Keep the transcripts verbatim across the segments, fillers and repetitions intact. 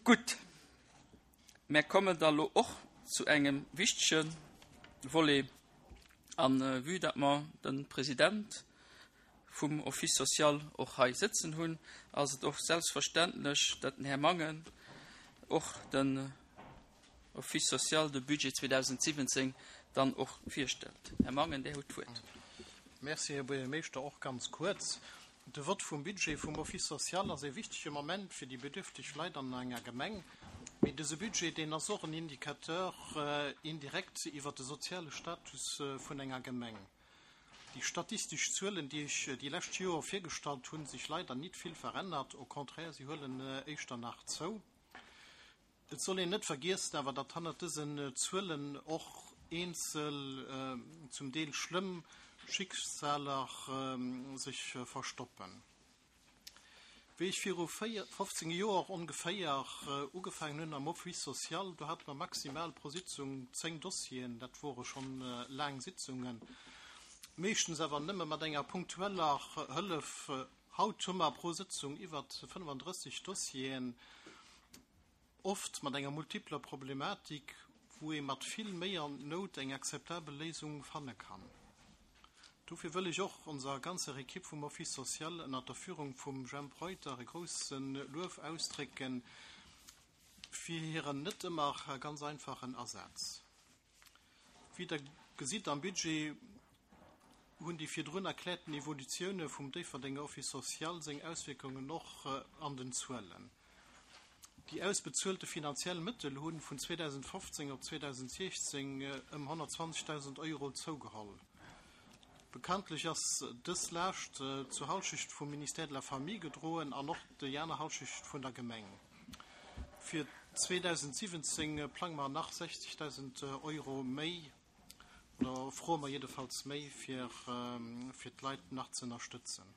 Gutt, mär kommen da lo och zu engem wichtege Volet. An vue datt mer de President vum Office social och hei sëtzen hunn, ass et och selbstverständlech, datt den Här Mangen och den Office social, de Budget zweedausendsiwwenzéng dann och virstellt. Här Mangen, Dir hutt d'Wuert. Merci, Här Buergermeeschter. Och ganz kuerz. De Vott vum Budget vum Office social ass e wichtege Moment fir déi bedürfteg Leit an enger Gemeng. Mee dëse Budget, deen ass och en Indicateur indirekt iwwert de soziale Status vun enger Gemeng. Déi statistesch Zuelen, déi ech déi lescht Joer virgestallt hunn, sech leider nit vill verännert, au contraire, si huelen éischter nach zou. Et soll een net vergiessen awer, datt hannert dësen Zuelen och eenzel, zum Deel schlëmm Schicksaler sech verstoppen. Wéi ech viru fofzéng Joer ongeféier ugefaangen hunn am Office social, do hate mer maximal pro Sitzung zéng Dossieren. Dat wore schonn laang Sitzungen, meeschtens awer nëmme mat enger punktueller Hëllef. Haut hu mer pro Sëtzung iwwer fënnefandrësseg Dossieren, oft mat enger multipler Problematik, wou ee mat vill Méi an Nout eng akzeptabel Léisung fanne kann. Dofir wëll ech och onser ganzer Ekipp vum Office social ënnert der Führung vum Jemp Reuter e grousse Luef ausdrécke fir hiren net ëmmer ganz einfachen Asaz. Wéi Der gesitt am Budget, hunn déi virdrun erkläerten Evolutioune vum Déifferdenger Office social seng Auswierkungen och an den Zuelen. Déi ausbezuelte finanziell Mëttel hu vun zweedausendfofzéng op zweedausendsechzéng ëm honnertzwanzegdausend Euro zougeholl. Bekanntlech ass dës Laascht zur Halschecht vum Ministère de la Famille gedroen an och déi aner Halschecht vun der Gemeng. Fir zweedausentsiwwenzéng plange mer nach sechzegdausend Euro méi, oder froe mer jiddefalls méi, fir d'Leit nach ze ënnerstëtzen.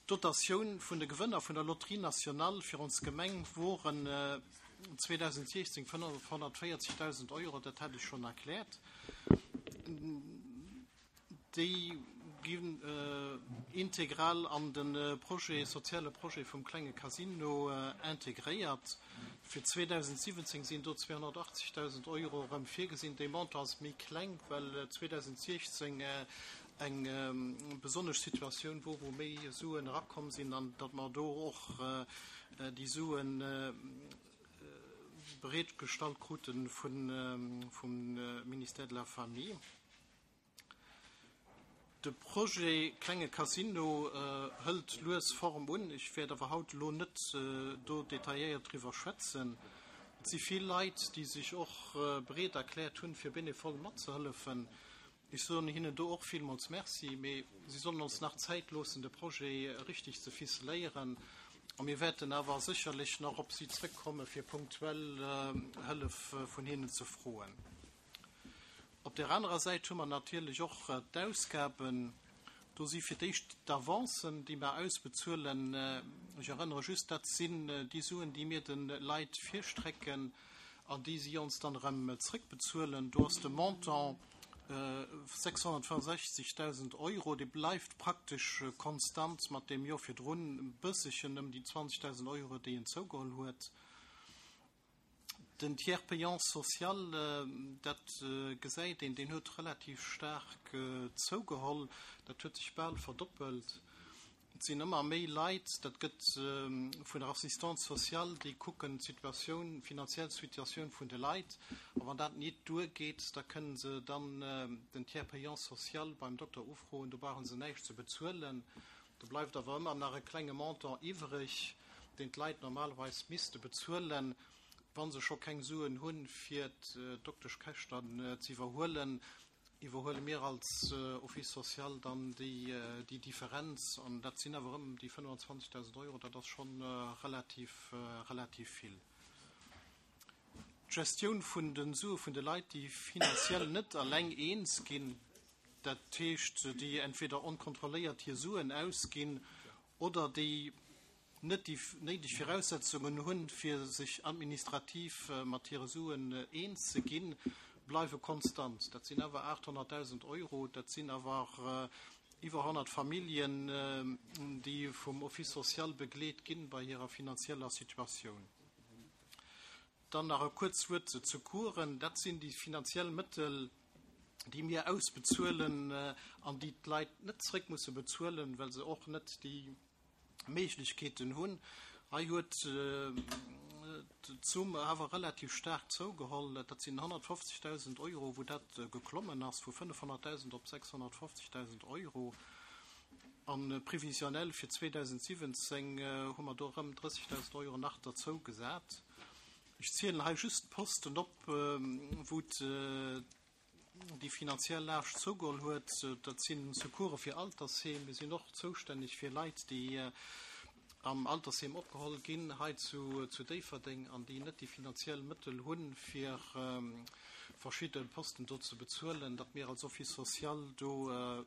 D'Dotatioun vun de Gewënner vun der Loterie Nationale fir ons Gemeng woren zweedausendsechzéng fënnefhonnertvéierzegdausend Euro, dat hat ech schonn erkläert. Déi ginn integral an de Projet, soziale Projet vum klenge Casino integréiert. Fir zweedausentsiwwenzéng sinn do zweehonnertachtzegdausend Euro erëm virgesinn. Dee Montant ass méi kleng, well zweedausendsechzéng eng besonnesch Situatioun wor, wou méi Suen erakomm sinn an datt mer do och déi Suen bereetgestallt krute vum Ministère de la Famille. De Projet Klenge Casino hëlt lues Form un. Ech wäert awer haut elo net do detailléiert driwwer schwätzen. Et si vill Leit, déi sech och bereet erkläert hunn, fir bénévol matzehëllefen. Ech soen hinnen do och villmools Merci, mee si sollen ons nach Zäit loossen, de Projet richtig ze ficeléieren. A mir wäerten awer sécherlech nach op si zrëckkomme fir punktuell Hëllef vun hinnen ze froen. Op där anerer Säit hu mer natierlech och d'Ausgaben. Do si fir d'éischt d'Avancen, déi mer ausbezuelen. Ech erënnere just, dat sinn déi Suen, déi mir de Leit virstrecken an déi si ons dann erëm zrëckbezuelen. Do ass de Montant sechshonnertfënnefsechzegdausend Euro. Dee bleift praktesch konstant mat deem Joer virdrun, e bësselchen ëm déi zwanzegdausend Euro, déi en zougeholl huet. Den Tiers payant social, dat gesäit een, deen huet relativ staark zougeholl. Dat huet sech bal verdoppelt. Et sinn ëmmer méi Leit, dat gëtt vun der Assistante sociale, déi kucken d'Situatioun, d'finanziell Situatioun vun de Leit. A wann dat nit duergeet, da kënnen se dann den Tiers payant social beim Dokter ufroen. Do brauche se näischt ze bezuelen. Do bleift awer ëmmer nach e klenge Montant iwwreg, deen d'Leit normalerweis misste bezuelen, wa se scho keng Suen hunn, fir d'Dokteschkäschten ze iwwerhuelen. Iwwerhuele mir als Office social dann déi Differenz, an dat sinn awer ëm déi fënnefenzwanzegdausend Euro, dat ass scho relativ, relativ vill. D'Gestioun vun de Sue vun de Leit, déi finanziell net eleng eens ginn, dat heescht, déi entweder onkontrolléiert hir Suen ausginn oder déi net déi néideg Viraussetzungen hunn, fir sech administrativ mat hire Suen eens ze ginn, bleiwe konstant. Dat sinn awer aathonnertdausend Euro, dat sinn awer iwwer honnert Familljen, déi vum Office social begleet ginn bei hirer finanzieller Situatioun. Dann nach e kuerzt Wuert zu Secoursen. Dat sinn déi finanziell Mëttel, déi mir ausbezuelen äh, an déi d'Leit net zréck musse bezuelen, well se och net déi Méiglechkeeten hunn. Hei huet äh, d'Zomm awer relativ staark zougeholl. Dat sinn honnertfofzegdausend Euro, wou dat äh, geklommen ass vu fënnefhonnertdausend op sechshonnertfofzegdausend Euro. An äh, previsionnel fir zweedausentsiwwenzéng äh, hu mer do rëm drëssegdausend Euro nach dozou gesat. Ech zielen hei just d'Posten op, ähm, wou äh, déi finanziell Laascht zougeholl huet. Dat sinn Secourse fir Altersheem. Mir sinn och zoustänneg fir Leit, déi äh, am Altersheem opgeholl ginn hei zu, zu Déifferdeng an déi net déi finanziell Mëttel hunn fir ähm, verschidde Posten do ze bezuelen, datt mir als Office social do äh, e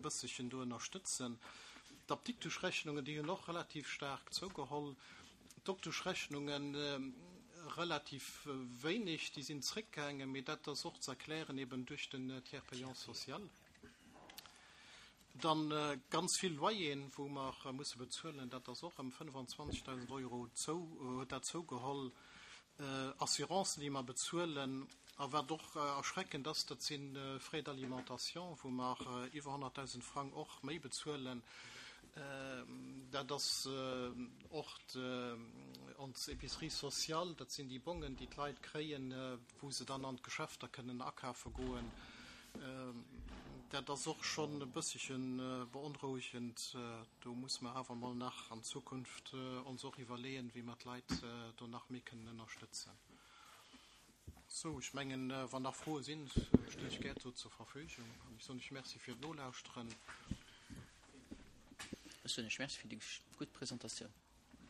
bësselchen do ënnerstëtzen. D'Apdikteschrechnungen, déi hunn och relativ staark zougeholl. D'Dokteschrechnungen äh, relativ wéineg, déi sinn zréckgaangen, mee dat ass och ze erklären eben duerch den äh, Tiers payant social. Dann äh, ganz vill Loyeren, wou mer äh, musse bezuelen, dat ass och ëm fënnefenzwanzegdausend Euro zou, äh, dat zougeholl. Äh, Assurancen, déi mer bezuelen, a wat och äh, erschreckend ass, dat sinn äh, Frais d'alimentation, wou mer äh, iwwer honnertdausend Frang och méi bezuelen. Äh, dat ass äh, och äh, ons Épicerie sociale, dat sinn déi Bongen, déi d'Leit kréien, äh, wou se dann an d'Geschäfter kënnen akafe goen. Äh, dat ass och schonn e bësselchen äh, beonrouegend. Äh, do musse mer awer mol nach an Zukunft äh, ons och iwwerleeën, wéi mer d'Leit äh, do nach méi kënnen ënnerstëtzen. Sou, ech mengen, äh, wann nach Froe sinn, stinn ech gär zur Verfügung. An ech soen iech Merci fir d'Nolauschteren. Ech soen iech Merci fir déi gutt Presentatioun.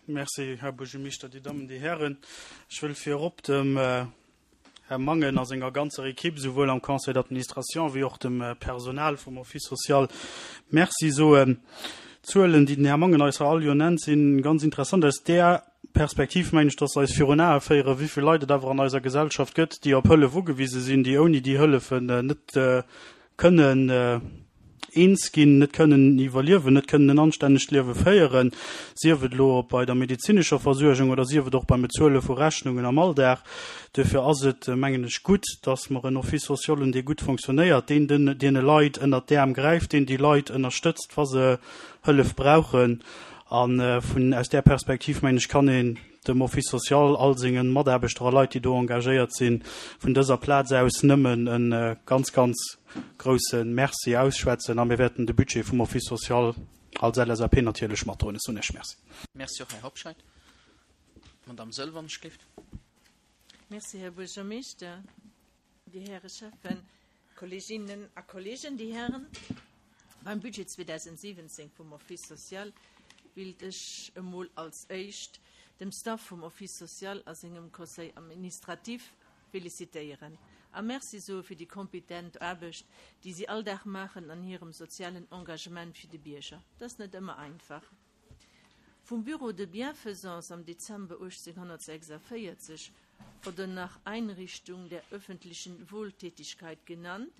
Merci, Här Buergermeeschter, Dir Dammen, Dir Hären. Ech wëll virop dem äh, Här Mangen a senger ganzer Ekipp, souwuel am Conseil d'administration wéi och dem äh, Personal vum Office social Merci soen. D'Zuelen, déi den Här Mangen eis all Joer nennt, sinn ganz interessant. Aus där Perspektiv mengen ech, dass eis virun Ae féieren, wéi vill Leit et awer an eiser Gesellschaft gëtt, déi op Hëllef ugewise sinn, déi ouni déi Hëllefen äh, net äh, kënnen äh, eens ginn, net kënnen iwwerliewen, net kënnen en anstännegt Liewe féieren, sief et lo bei der medezinescher Versuergung oder sief et och beim Bezuele vu Rechnungen am Alldag. Dofir ass et äh, mengen ech gutt, dass mer en Office social hunn, dee gutt funktionéiert, deen den deene Leit ënnert d'Äerm gräift, deen déi Leit ënnerstëtzt, wa se Hëllef brauchen. An äh, vun aus där Perspektiv mengen ech kann een dem Office social all senge Mataarbechter a Leit, déi do engagéiert sinn, vun dëser Plaz aus nëmmen en äh, ganz ganz grousse Merci ausschwätzen a mir wäerten de Budget vum Office social als L S A P natierlech matdroen. Ech soen iech Merci. Merci och, Här Hobscheit. Madame Sëlvan Schlift. Merci, Här Buergermeeschter, Dir Häre Schäffen, Kolleeginnen a Kolleegen, Dir Hären. Beim Budget zweedausentsiwwenzéng vum Office social wëllt ech emol als éischt dem Staff vum Office social a sengem Conseil administratif felicitéieren. A Merci soe fir déi kompetent Aarbecht, déi si all Dag maachen an hirem sozialen Engagement fir de Bierger. Dat ass net ëmmer einfach. Vum Bureau de Bienfaisance am Dezember achtzehnhundertsechsundvierzig oder nach Einrichtung der öffentlichen Wohltätigkeit genannt,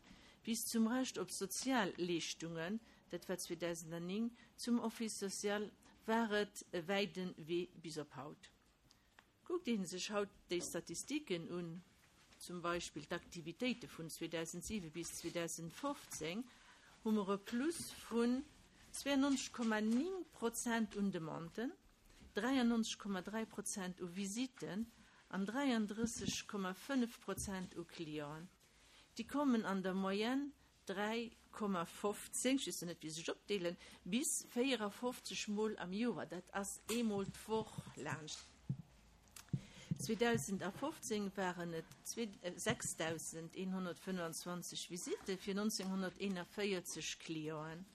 bis zum Recht op Sozialleeschtungen, dat war zweedausendnéng, zum Office social war et e wäite Wee bis op haut. Kuckt een sech haut déi Statistiken un, zum Beispill d'Aktivitéite vun zweedausentsiwe bis zweedausendfofzéng, hu mer e Plus vun zwouennonzeg Komma néng Prozent un Demanden, dräiannonzeg Komma dräi Prozent u Visitten an dräiandrësseg Komma fënnef Prozent u Clienten. Déi kommen an der Moyenne dräi Komma fofzéng, ech weess net wéi sech opdeelen, bis véierafofzeg Mol am Joer, dat ass eemol d'Woch laanscht. zweedausendfofzéng waren et sechsdausendeenhonnertfënnefenzwanzeg Visitte fir nonzénghonnerteenaféierzeg Clienten.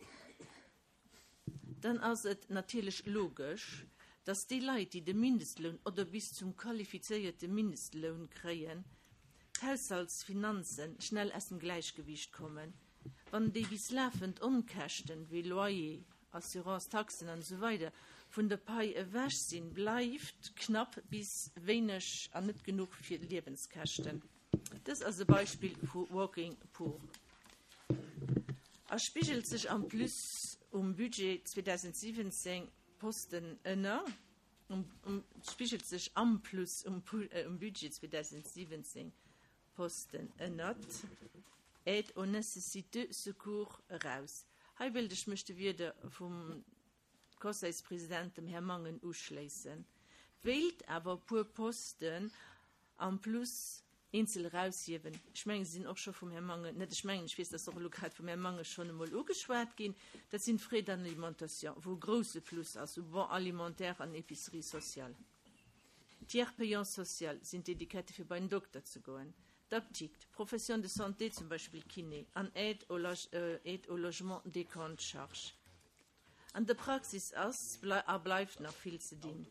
Dann ass et natierlech logesch, dass déi Leit, déi de Mindestloun oder bis zum qualifizéierte Mindestloun kréien, d'Haushaltsfinanze schnell aus dem Gläichgewiicht kommen. Wann déi bis lafend Onkäschten wéi Loyer, Assurance, Taxen an esou weider vun der Pai ewech sinn, bleift knapp bis wéineg an net genuch fir Liewenskäschten. Dëst ass e Beispill vu Working Poor. A spigelt sech en plus um Budget zweedausentsiwwenzéng Posten ënner um, um, spigelt sech am Plus um, äh, um Budget zweedausendsiwwenzéng Posten ënnert Aide aux nécessiteux secours eraus. Hei wëllt ech mech de Wierder vum Conseilspresident, dem Här Mangen, uschléissen. Wéilt awer e puer Posten am Plus eenzel eraushiewen. Ech mengen, se sinn och scho vum Här Mangen, net ech mengen, ech weess, dass och elo grad vum Här Mangen schonn emol ugeschwat ginn. Dat sinn d'Frais d'alimentation, wou e grouse Plus ass, u Bon alimentaire an Épicerie sociale. Tiers payant social sinn d'Etikette fir bei den Dokter ze goen, d'Apdikt, Profession de santé, zum Beispill Kiné, an Aide au, Aide au logement décompte charge. An der Praxis ass a bleift nach vill ze dinn.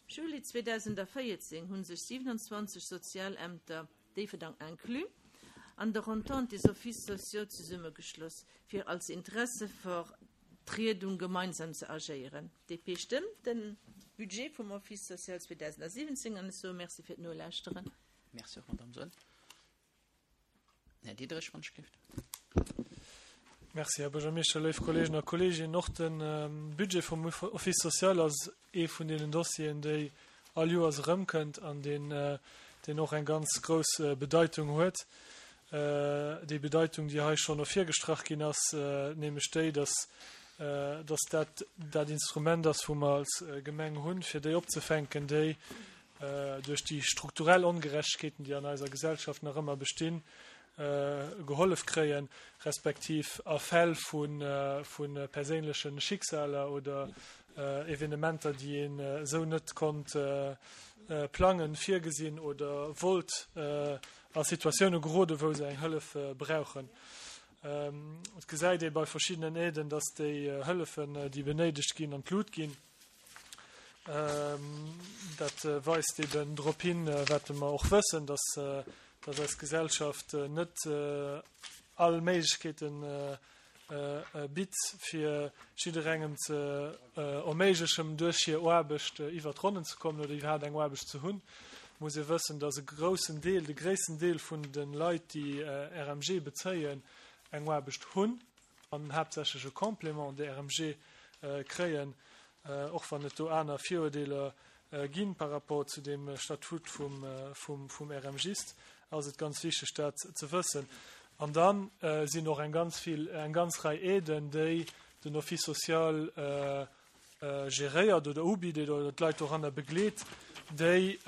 Juli zweedausendvéierzéng hu sech siwenanzwanzeg Sozialämter, Déifferdang inclus, an der Entente des Offices sociaux zesummegeschloss, fir als Interessevertriedung gemeinsam ze agéieren. D P stëmmt de Budget vum Office social zweedausendsiwwenzéng an ech soe Merci fir d'Nolauschteren. Merci och, Madame Saeul. Här Diderich, wann ech gelift. Merci, Här Buergermeeschter, léif Kolleegen a Kolleeginnen. Och de Budget vum Office social ass ee vun deenen Dossieren, déi all Joers erëmkënnt an deen, deen och eng ganz grouss Bedeitung huet. Déi Bedeitung, déi hei schonn ervirgestrach ginn ass, nämlech déi, dass, dass dat dat Instrument ass, wou mer als Gemeng hunn, fir déi opzefänken, déi duerch déi strukturell Ongerechtegkeeten, déi an eiser Gesellschaft nach ëmmer bestinn, gehollef kréien, respektiv a Fäll vu vu perséinleche Schicksaler oder Evenementer, déi een esou net konnt plangen, virgesinn oder wollt, a Situatioune gerode wou se eng Hëllef brauchen. Et gesäit ee bei verschiddenen Aiden, datt déi Hëllefen, déi benéidegt ginn, an d'Lut ginn. Dat weist eben drop hin, wat mer och wëssen, datt datt eis Gesellschaft net all Méiglechkeeten bitt, fir jidderengem ze erméiglechen, duerch hir Aarbecht iwwer d'Ronnen ze kommen oder iwwerhaapt eng Aarbecht ze hunn. Muss ee wëssen, datt e groussen Deel, de gréissten Deel vun de Leit, déi R M G bezéien, eng Aarbecht hunn an haaptsächlech e Complément de R M G kréien, och wann et do aner Virurdeeler ginn par rapport zu dem Statut vum, vum, vum R M Gist, ass et ganz wichteg, dat ze wëssen. An dann sinn och eng ganz vill, eng ganz Rei Aiden, déi den Office social geréiert oder ubitt oder d'Leit doranner begleet, déi,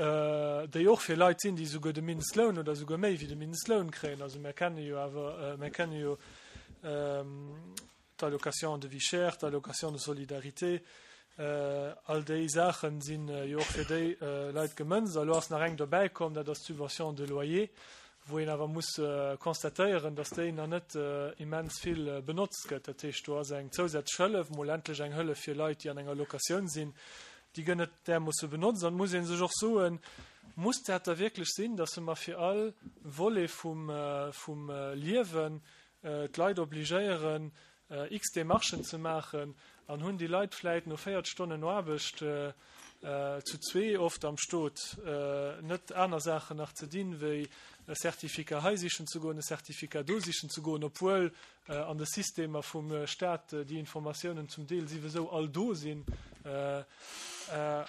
déi och fir Leit sinn, déi souguer de Mindestloun oder souguer méi wéi de Mindestloun kréien. Also mir kenne jo awer, mir kenne jo d'Allocation de vie chère, d'Allocation de solidarité, all déi Saache sinn jo och fir déi Leit gemënzt. Elo ass nach eng dobäi komm, dat ass d'Subvention de loyer, wou een awer muss constatéieren, datt déi nach net immens vill benotzt gëtt. Dat heescht, do ass eng zousätzlech Hëllef, mol endlech eng Hëllef fir Leit, déi an enger Locatioun sinn, déi gëtt net därmoosse benotzt. An et muss ee sech och soen, muss dat da wierklech sinn, datt mer fir all Volet vum, vum Liewen d'Leit obligéieren, x Demarchen ze maachen, an hunn déi Leit vläit no véiert Stonnen Aarbecht zu zwee oft am Stot net aner Saachen nach ze dinn, wéi e Certificat hei sichen ze goen, e Certificat do sichen ze goen, obwuel an de Systemer vum Staat déi Informatiounen zum Deel souwisou all do sinn,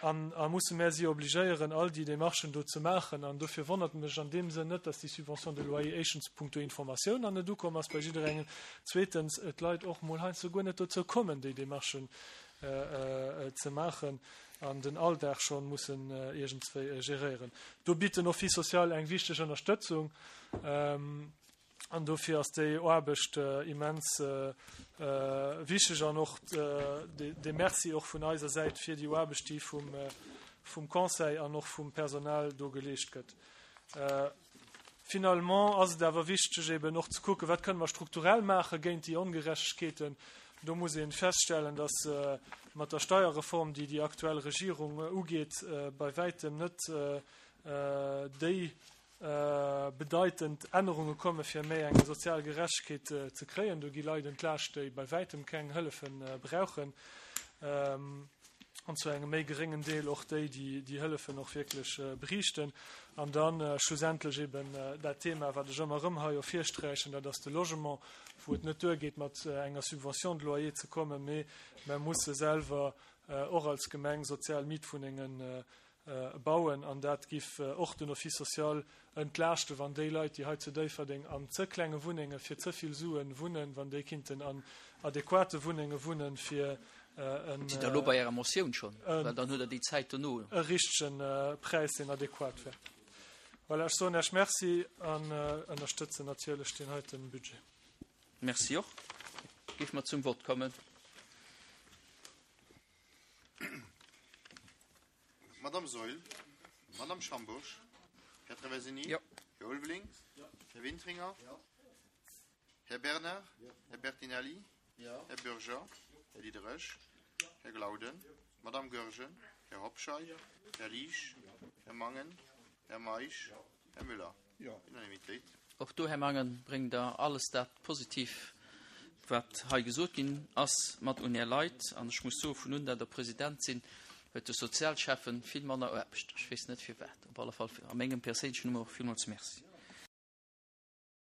an a musse mär si obligéieren, all déi Demarchen do ze maachen? An dofir wonnert mech an deem Sënn net, dass déi Subvention de loyer éischtens punkto Informatioun an net ukomm ass bei jidderengem, zweetens d'Leit och mol heiansdo guer net dozou kommen, déi Demarchen ze maachen an den Alldag schonn mussen iergendswéi geréieren. Do bitt den Office social eng wichteg Ënnerstëtzung an dofir ass déi Aarbecht immens wichteg an och de Merci och vun eiser Säit fir déi Aarbecht, déi vum, vum Conseil an och vum Personal do geleescht gëtt. Finalement ass et awer wichteg eben och ze kucken, wat kënne mer strukturell maache géint déi Ongerechtegkeeten. Do muss een feststellen, dass mat der Steierreform, déi déi aktuell Regierung ugeet, bei wäitem net déi bedeitend Ännerunge komme fir méi eng sozial Gerechtegkeet ze kréien. Do gi Leit entlaascht, déi bei wäitem keng Hëllefe brauchen, an zu engem méi geréngen Deel och déi, déi déi Hëllefen och wierklech bräichten. An dann schlussendlech eben dat Thema, wat ech ëmmer erëm hei ervirsträichen, dat ass de Logement, wou et net duergeet, mat enger Subvention de loyer ze kommen, mee mer musse selwer och als Gemeng sozial Mietwunnengen bauen an dat giff och den Office social entlaaschten, wann déi Leit, déi hei zu Déifferdeng an ze klenge Wunnenge fir ze vill Suen wunnen, wann déi kinnten an adequate Wunnenge wunnen, fir en Sidd Der elo bei Ärer Motioun schonn? Well dann hutt Der déi Zäit dono. e richtegen Präis, deen adequat wär. Voilà, ech soen Iech Merci an ënnerstëtzen natierlech deen heiten Budget. Merci och. Géife mer zum Vott kommen. Madame Saeul, Madame Schambourg, Här Traversini, Jo. Här Ulveling, Här Wintringer, Här Bernard, Här Bertinelli, Här Bürger, Här Diderich, Här Glauden, Madame Goergen, Här Hobscheit, Här Liesch, Här Mangen, Här Meisch, Här Müller. Unanimitéit. Och do, Här Mangen, bréngt Der alles dat positiv, wat hei gesot ginn ass, mat un Är Leit. An ech muss soen, vun un dat Der President sinn, huet de Sozialschäffen vill manner Aarbecht. Ech weess net firwat. Op alle Fall a mengem perséinlechen Numm och villmools Merci.